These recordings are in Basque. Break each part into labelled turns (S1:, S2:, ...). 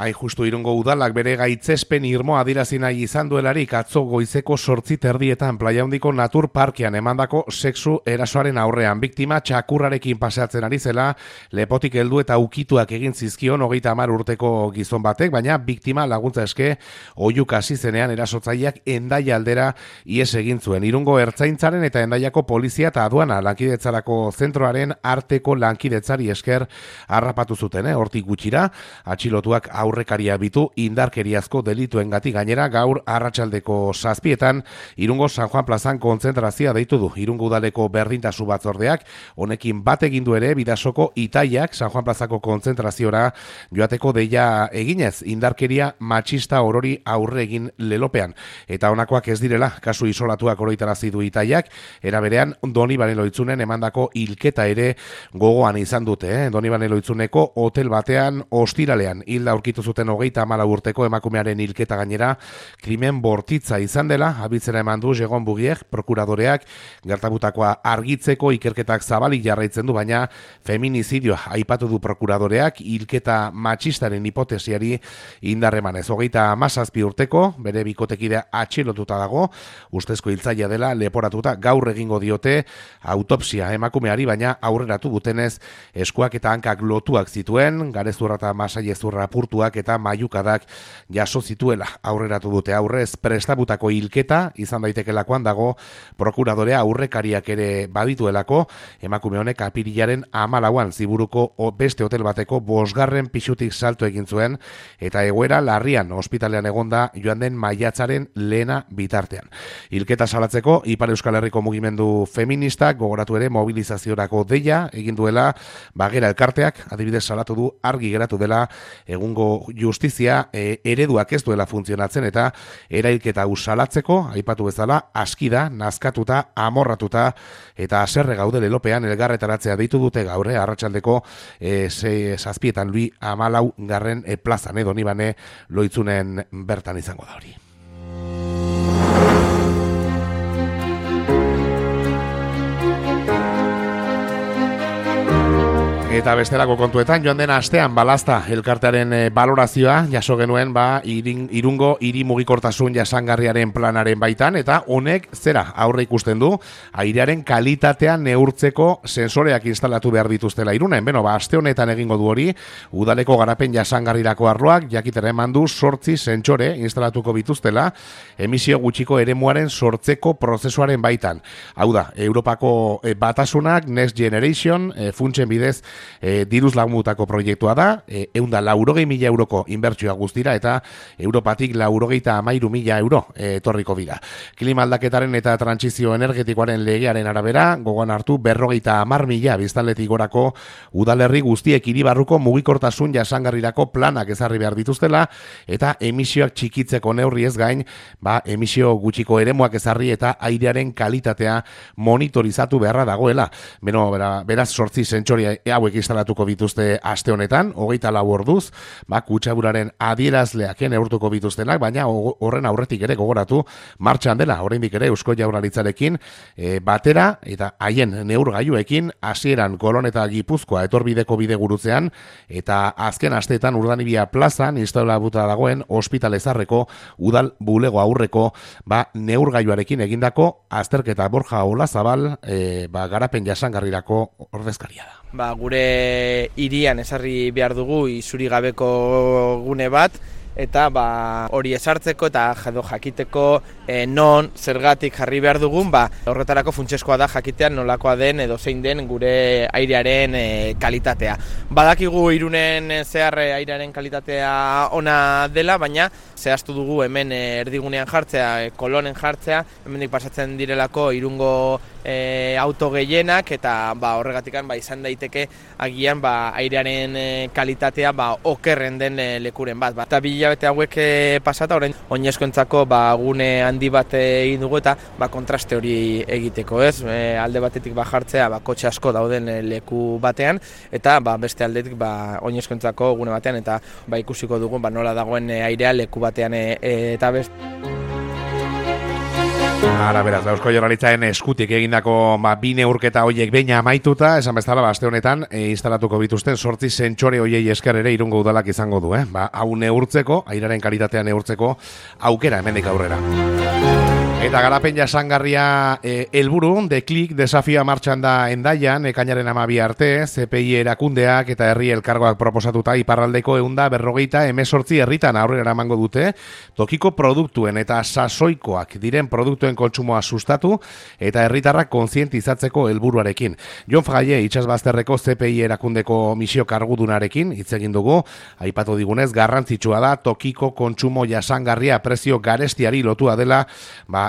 S1: Hain justu Irungo udalak bere gaitzespen irmoa adierazi nahi izan duelarik atzo goizeko 8:30 Playa Handiko Natur Parkean emandako sexu erasoaren aurrean biktima txakurrarekin paseatzen ari zela, lepotik heldu eta ukituak egin zizkion 30 urteko gizon batek, baina biktima laguntza eske oihuka hasi zenean erasotzaileak Hendaia aldera ihes egin zuen. Irungo Ertzaintzaren eta Hendaiako polizia eta aduana lankidetzarako zentroaren arteko lankidetzari esker harrapatu zuten, hortik gutxira atxilotuak aurrekaria bitu indarkeriazko delituengatik. Gainera gaur arratsaldeko 7:00 Irungo San Juan plazan kontzentrazioa deitu du Irungo udaleko berdintasun batzordeak. Honekin bat egin du ere Bidasoko Itaiak San Juan plazako kontzentraziora joateko deia eginez indarkeria matxista orori aurre egin lelopean. Eta honakoak ez direla kasu isolatuak oroitarazi du Itaiak, era berean Donibane Loitzunen emandako hilketa ere gogoan izan dute. Donibane Loitzuneko hotel batean ostiralean hilda aurkitu zuten 34 urteko emakumearen hilketa gainera krimen bortitza izan dela abitzera eman du Jegon Bugiek prokuradoreak. Gertatutakoa argitzeko ikerketak zabalik jarraitzen du, baina feminizidioa aipatu du prokuradoreak hilketa matxistaren hipotesiari indarremanez. 37 urteko bere bikotekidea atxilotuta dago, ustezko hiltzailea dela leporatuta. Gaur egingo diote autopsia emakumeari, baina aurreratu dutenez eskuak eta hankak lotuak zituen, garezurra eta masailezurra apurtuak eta maiukadak jaso zituela aurreratu dute. Aurrez prestabutako hilketa izan daitekeelakoan dago prokuradorea aurrekariak ere badituelako. Emakume honek apirilaren 14an Ziburuko beste hotel bateko 5. pisutik salto egin zuen eta egoera larrian ospitalean egonda joan den maiatzaren lehena bitartean. Hilketa salatzeko Ipar Euskal Herriko mugimendu feministak gogoratu ere mobilizaziorako deia egin duela. Bagera elkarteak adibidez salatu du argi geratu dela egungo justizia ereduak ez duela funtzionatzen eta erailketa hau salatzeko aipatu bezala askida, nazkatuta, amorratuta eta haserre gaude lelopean elgarretaratzea deitu dute gaur arratsaldeko 7:00 Lui 14. plazan Donibane Loitzunen bertan izango da hori. Eta bestelako kontuetan, joan den astean balazta elkartearen balorazioa jaso genuen Irungo hiri mugikortasun jasangarriaren planaren baitan, eta honek zera aurre ikusten du airearen kalitatea neurtzeko sensoreak instalatu behar dituztela Irunen. Aste honetan egingo du hori udaleko garapen jasangarrirako arloak jakitera eman du 8 sentsore instalatuko bituztela emisio gutxiko eremuaren sortzeko prozesuaren baitan. Hau da, Europako batasunak Next Generation funtsen bidez diruz lagundutako proiektua da, 180.000 euroko inbertsioa guztira eta Europatik 93.000 euro etorriko dira. Klima aldaketaren eta trantsizio energetikoaren legearen arabera, gogoan hartu 50.000 biztanletik gorako udalerri guztiek hiribarruko mugikortasun jasangarrirako planak ezarri behar dituztela eta emisioak txikitzeko neurri ez gain, emisio gutxiko eremuak ezarri eta airearen kalitatea monitorizatu beharra dagoela. Beraz 8 sentsore hauek instalatuko bituzte aste honetan, 24 orduz, kutsaburaren adierazleak neurtuko bituztenak, baina horren aurretik ere gogoratu martxan dela, oraindik ere Eusko Jaurlaritzarekin batera eta haien neurgailuekin hasieran Kolon eta Gipuzkoa etorbideko bidegurutzean eta azken asteetan Urdanibia plazan instalatuta dagoen ospitale zarreko udal bulego aurreko neurgailuarekin egindako azterketa. Borja Olazabal garapen jasangarrirako ordezkaria da.
S2: Gure hirian ezarri behar dugu isuri gabeko gune bat, eta hori ezartzeko eta jakiteko non zergatik jarri behar dugun, horretarako funtsezkoa da jakitean nolakoa den edo zein den gure airearen kalitatea. Badakigu Irunen zehar airearen kalitatea ona dela, baina zehaztu dugu hemen erdigunean jartzea, Kolonen jartzea, hemendik pasatzen direlako Irungo auto gehienak eta horregatikan izan daiteke agian airearen kalitatea okerren den lekuren bat. Eta hilabete hauek pasata, orain oinezkoentzako gune handi bat egin dugu eta kontraste hori egiteko, ez? Alde batetik jartzea kotxe asko dauden leku batean eta beste aldetik oinezkoentzako gune batean eta ikusiko dugu nola dagoen airea leku batean eta beste.
S1: Ara, beraz, Eusko Jaurlaritzaren eskutik egindako bi neurketa hoiek behin amaituta, esan bezala, aste honetan instalatuko bituzten 8 sentsore hoiei esker ere Irungo udalak izango du, hau neurtzeko, airaren kalitatea neurtzeko aukera hemendik aurrera. Eta garapen jasangarria helburu, deklik desafioa martxan da Hendaian, ekainaren 12 arte, CPI erakundeak eta herri elkargoak proposatuta iparraldeko 148 herritan aurrera eramango dute, tokiko produktuen eta sasoikoak diren produktuen kontsumoa sustatu eta herritarrak kontzientizatzeko helburuarekin. Jon Fraile itsasbazterreko CPI erakundeko misio kargudunarekin hitz egin dugu, aipatu digunez garrantzitsua da tokiko kontsumo jasangarria prezio garestiari lotua dela,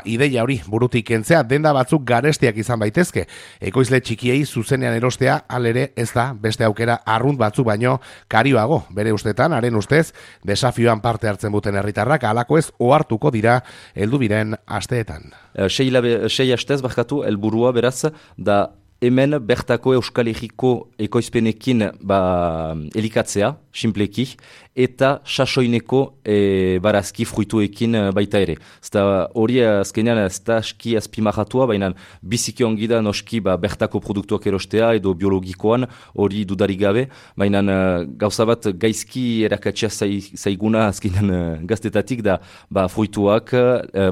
S1: ideia hori burutik kentzea, denda batzuk garestiak izan baitezke. Ekoizle txikiei zuzenean erostea alere ez da beste aukera arrunt batzuk baino karioago. Bere ustetan, haren ustez, desafioan parte hartzen duten herritarrak halako ez ohartuko dira heldu biren asteetan.
S3: 6 astez barkatu helburua beraz da hemen bertako Euskal Herriko ekoizpenekin elikatzea, simpleki, eta sasoineko barazki fruituekin baita ere. Zta hori azkenean ez da aski azpimarratua, baina biziki ongi da noski bertako produktuak erostea edo biologikoan hori dudarik gabe, baina gauza bat gaizki erakatzea zaiguna azkenean gaztetatik da fruituak,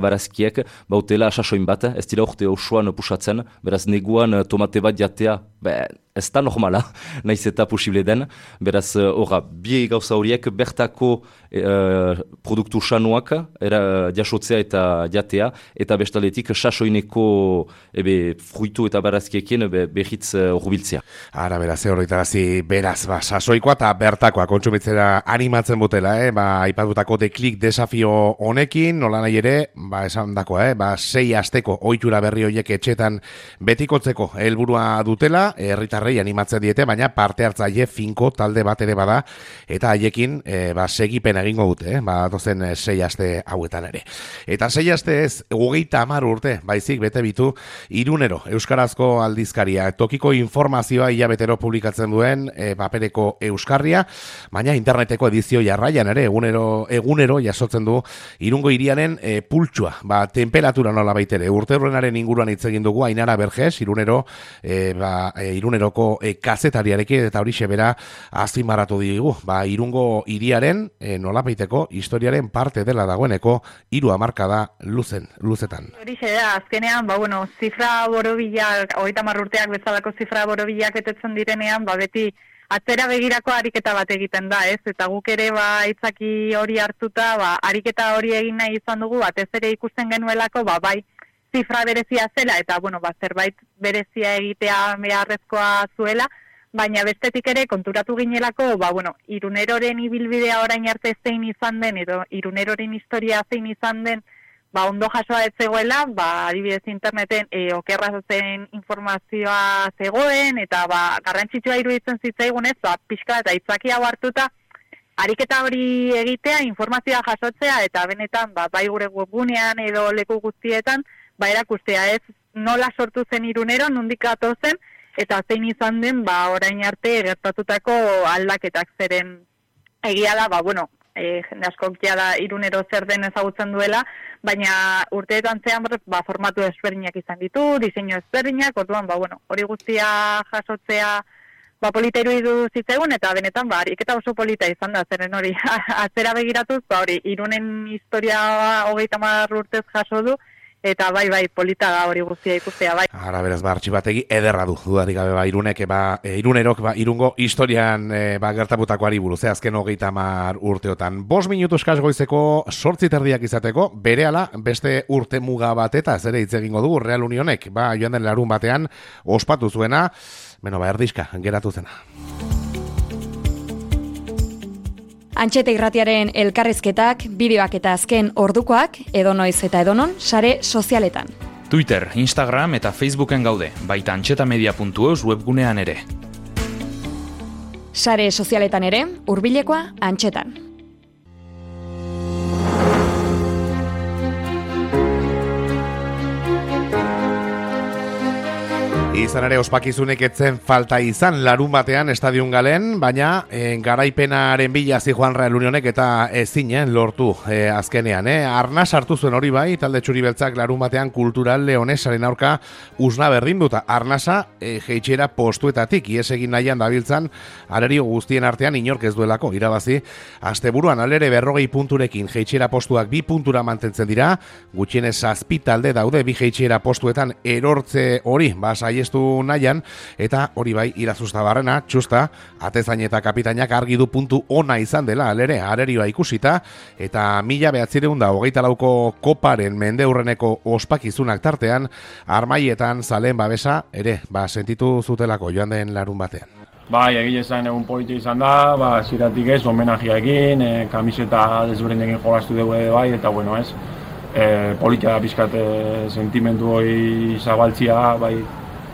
S3: barazkiek, bautela sasoin bat, ez dira urte osoan pusatzen, beraz neguan tomate bat jatea, ez da normala, nahiz eta posible den, beraz bi gauza horiek bertako produktu sanuak jasotzea eta jatea, eta bestaletik sasoineko fruitu eta barazkiekin behitz urbiltzea.
S1: Ara, beraz, horretarazi, beraz, sasoikoa eta bertakoa kontsumitzera animatzen butela, aipatutako deklik desafio honekin, nola nahi ere, esan dakoa, 6 asteko ohitura berri horiek etxetan betikotzeko helburua dutela, herritarrei animatzen diete, baina parte hartzaile finko talde bat ere bada, eta haiekin segipen egingo dute, dozen 6 aste hauetan ere. Eta 6 aste ez, 30 urte, baizik bete bitu, Irunero, Euskarazko aldizkaria, tokiko informazioa hilabetero publikatzen duen papereko euskarria, baina interneteko edizio jarraian ere, egunero jasotzen du Irungo hiriaren pultsua, temperatura nola baitere, urte horrenaren inguruan hitz egin dugu, Ainara Berges, Iruneroko kazetariarekin, eta hori bera azpimarratu digu, Irungo hiriaren nolabaiteko historiaren parte dela dagoeneko 3 hamarkada luzetan.
S4: Hori da, azkenean, zifra borobilak, 30 urteak bezalako zifra borobilak betetzen direnean, beti atzera begirako ariketa bat egiten da, ez? Eta guk ere aitzaki hori hartuta, ariketa hori egin nahi izan dugu, batez ere ikusten genuelako, bai zifra berezia zela, eta zerbait berezia egitea beharrezkoa zuela, baina bestetik ere konturatu ginelako, Iruneroren ibilbidea orain arte zein izan den, edo Iruneroren historia zein izan den, ondo jasoa ez zegoela, adibidez interneten okerra zen informazioa zegoen, eta garrantzitsua iruditzen zitzaigunez, pixka eta itzaki hau hartuta, ariketa hori egitea, informazioa jasotzea, eta benetan, bai gure webgunean edo leku guztietan, erakustea ez nola sortu zen Irunero, nondik gatozen, eta zein izan den, orain arte gertatutako aldaketak zeren egia da, jende askok da Irunero zer den ezagutzen duela, baina urteetan zean formatu ezberdinak izan ditu, diseinu ezberdinak, orduan, hori guztia jasotzea polita iruditu zitzaigun, eta benetan, ariketa oso polita izan da, zeren hori atzera begiratuz, Irunen historia 30 urtez jaso du, eta bai polita da hori guztia ikustea, bai.
S1: Ara, beraz, artxibategi ederra du, dudarik gabe, Irunerok, Irungo historian gertabutakoari buruz, azken 30 urteotan. 5 minutu eskaz goizeko 8:30 izateko, berehala beste urte muga bat eta ez ere hitz egingo dugu, Real Unionek, joan den larun batean, ospatu zuena, erdizka, geratu zena.
S5: Antxeta irratiaren elkarrizketak, bideoak eta azken ordukoak, edonoiz eta edonon, sare sozialetan.
S6: Twitter, Instagram eta Facebooken gaude, baita antxetamedia.eus webgunean ere.
S5: Sare sozialetan ere, hurbilekoa Antxetan.
S1: izan ere ospakizunek etzen falta izan larun batean estadion galen, baina garaipenaren bila zijoan Real Unionek eta ezinen lortu azkenean. Arnas hartu zuen hori bai, talde txuri beltzak larun batean Kultural Leonesaren aurka usna berdin duta. Arnasa jeitxera postuetatik, ies egin nahian dabiltzan, arerio guztien artean inork ez duelako irabazi. Asteburuan alere 40 punturekin jeitxera postuak 2 puntura mantentzen dira, gutxienez 7 talde daude 2 jeitxera postuetan erortze hori, saiestu nahian, eta hori bai Irazustabarrena, txusta, atezain eta kapitainak argi du puntu ona izan dela, alere, arerioa ikusita, eta 1924ko koparen mendeurreneko ospakizunak tartean, armaietan zalen babesa, ere, sentitu zutelako joan den larun batean.
S7: Bai, egile zain egun polita izan da, ziratik ez, homenajeekin, kamiseta desberdinekin jolastu dugu bai, eta bueno ez, polita da pixkat sentimentu hori zabaltzia, bai,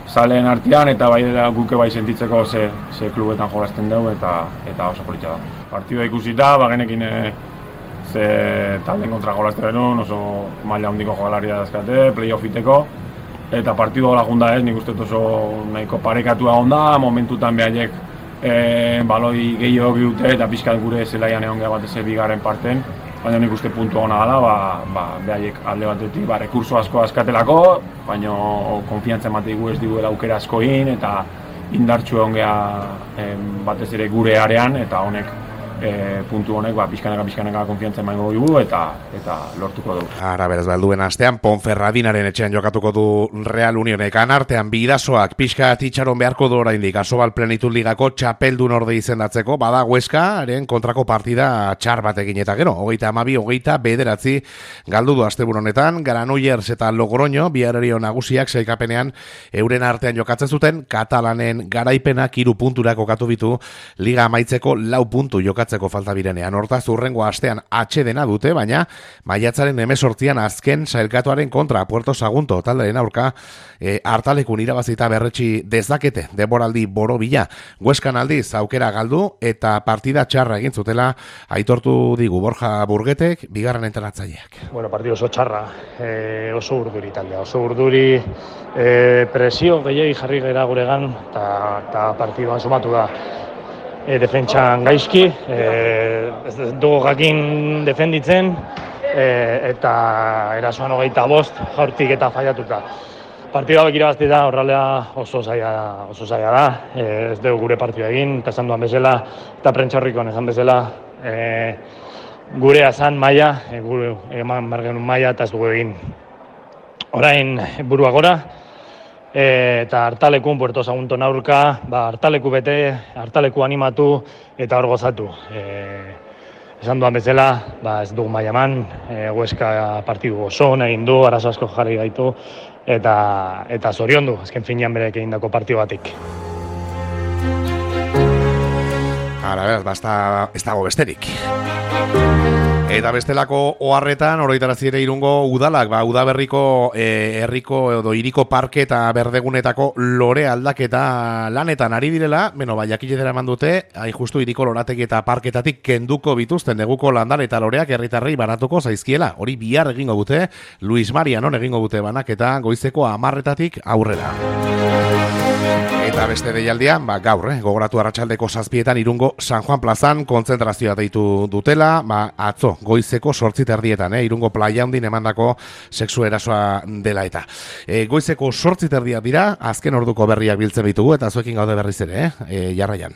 S7: zaleen artean eta bai guke bai sentitzeko ze klubetan jolasten dugu eta oso polita da. Partidua ikusita, genekin ze talden kontra jolasten denun, oso maila handiko jogalaria dazkate, playoffiteko, eta partidua hola junda ez, nik uste oso nahiko parekatua onda, momentutan behaiek baloi gehiago dute eta pixkat gure zelaian egon geha batez bigarren parten, baina nik uste puntua ona dela, behaiek alde batetik, rekurso asko askatelako, baina konfiantza emateigu ez diguela aukera askoin eta indartxu egon geha batez ere gure arean eta honek puntu honek pixkanaka konfiantza emango dugu eta lortuko dugu.
S1: Ara, beraz, balduen astean Ponferradinaren etxean jokatuko du Real Unionek, anartean Bidasoak pixka itxaron beharko du oraindik Asobal Plenitud Ligako txapeldun orde izendatzeko, bada Hueskaren kontrako partida txar batekin eta gero, 32-29 galdu du asteburu honetan, Granollers eta Logroño, biharrerio nagusiak sailkapenean euren artean jokatzen zuten, Katalanen garaipenak 3 puntura kokatu bitu, Liga amaitzeko 4 puntu jokatzeko falta birenean. Hortaz urrengo astean atsedena dute, baina maiatzaren 18an azken sailkatuaren kontra Puerto Sagunto talderen aurka hartalekun irabazita berretsi dezakete denboraldi borobila. Hueskan aldiz aukera galdu eta partida txarra egin zutela aitortu digu Borja Burgetek, bigarren entrenatzailek.
S8: Bueno, partido oso txarra, oso urduri taldea, oso urduri, presio gehiagi jarri gara guregan eta partiduan sumatu da. Defentsan gaizki, ez dugu jakin defenditzen, eta erasoan 25 jaurtik eta faiatuta. Partida hauek irabaztea horrela oso zaila da, ez dugu gure partida egin, eta esan duan bezala, eta prentxaurrikoan esan bezala, gure azan maila, eman bergenun maila eta ez dugu egin. Orain burua gora, eta hartalekun Puerto Sagunton aurka, hartaleku bete, hartaleku animatu eta hor gozatu. Esan duan bezala, ez dugu maila eman, Hueska partidu oso egin du, arazo asko jarri gaitu, eta zoriondu, azken finean berek egindako partidu batik.
S1: Ara, beraz, ez dago besterik. Eta bestelako oharretan oroitarazi ere Irungo udalak, udaberriko herriko edo hiriko parke eta berdegunetako lore aldaketa lanetan ari direla, jakiletera eman dute, hain justu hiriko lorategi eta parketatik kenduko bituzten neguko landare eta loreak herritarrei banatuko zaizkiela. Hori bihar egingo dute, Luis Marianon egingo dute banaketa goizeko 10:00 aurrera. Eta beste deialdian, gaur, gogoratu arratsaldeko 7:00 Irungo San Juan plazan kontzentrazioa deitu dutela, atzo goizeko 8:30 Irungo Playa Handin emandako sexu erasoa dela eta. Goizeko 8:30 dira, azken orduko berriak biltzen bitugu eta zuekin gaude berriz ere, jarraian.